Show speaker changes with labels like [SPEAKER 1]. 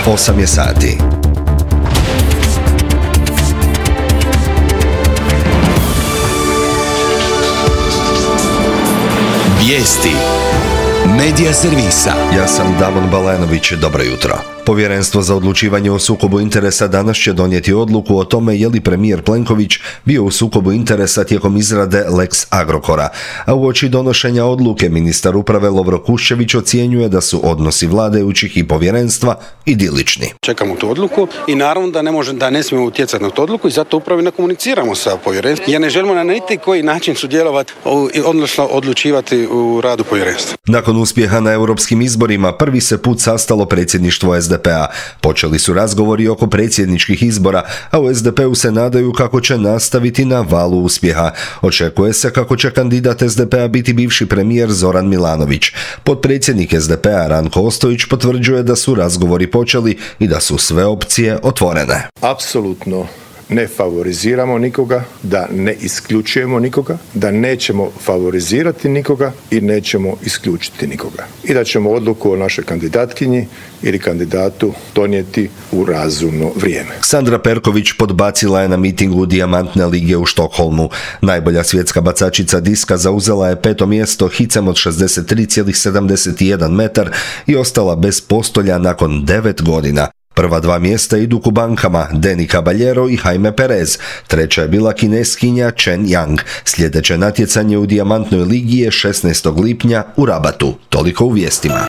[SPEAKER 1] 8 je sati. Vijesti Medija servisa. Ja sam Damon Balenović, dobro jutro. Povjerenstvo za odlučivanje o sukobu interesa danas će donijeti odluku o tome je li premijer Plenković bio u sukobu interesa tijekom izrade Lex Agrokora, a uoči donošenja odluke ministar uprave Lovro Kuščević ocjenjuje da su odnosi vladajućih i povjerenstva idilični.
[SPEAKER 2] Čekamo tu odluku i naravno da ne smijemo utjecati na tu odluku i zato upravo ne komuniciramo sa povjerenstvom jer ne želimo na niti koji način sudjelovati, odnosno odlučivati u radu povjerenstva.
[SPEAKER 1] Nakon uspjeha na europskim izborima prvi se put sastalo predsjedništvo SDP-a. Počeli su razgovori oko predsjedničkih izbora, a u SDP-u se nadaju kako će nastaviti na valu uspjeha. Očekuje se kako će kandidat SDP-a biti bivši premijer Zoran Milanović. Potpredsjednik SDP-a Ranko Ostojić potvrđuje da su razgovori počeli i da su sve opcije otvorene.
[SPEAKER 3] Apsolutno ne favoriziramo nikoga, da ne isključujemo nikoga, da nećemo favorizirati nikoga i nećemo isključiti nikoga. I da ćemo odluku o našoj kandidatkinji ili kandidatu donijeti u razumno vrijeme.
[SPEAKER 1] Sandra Perković podbacila je na mitingu Dijamantne lige u Štokholmu. Najbolja svjetska bacačica diska zauzela je 5. mjesto hicem od 63,71 metar i ostala bez postolja nakon 9 godina. Prva 2 mjesta idu Kubankama, Deni Caballero i Jaime Perez. Treća je bila Kineskinja Chen Yang. Sljedeće natjecanje u Dijamantnoj ligi je 16. lipnja u Rabatu. Toliko u vijestima.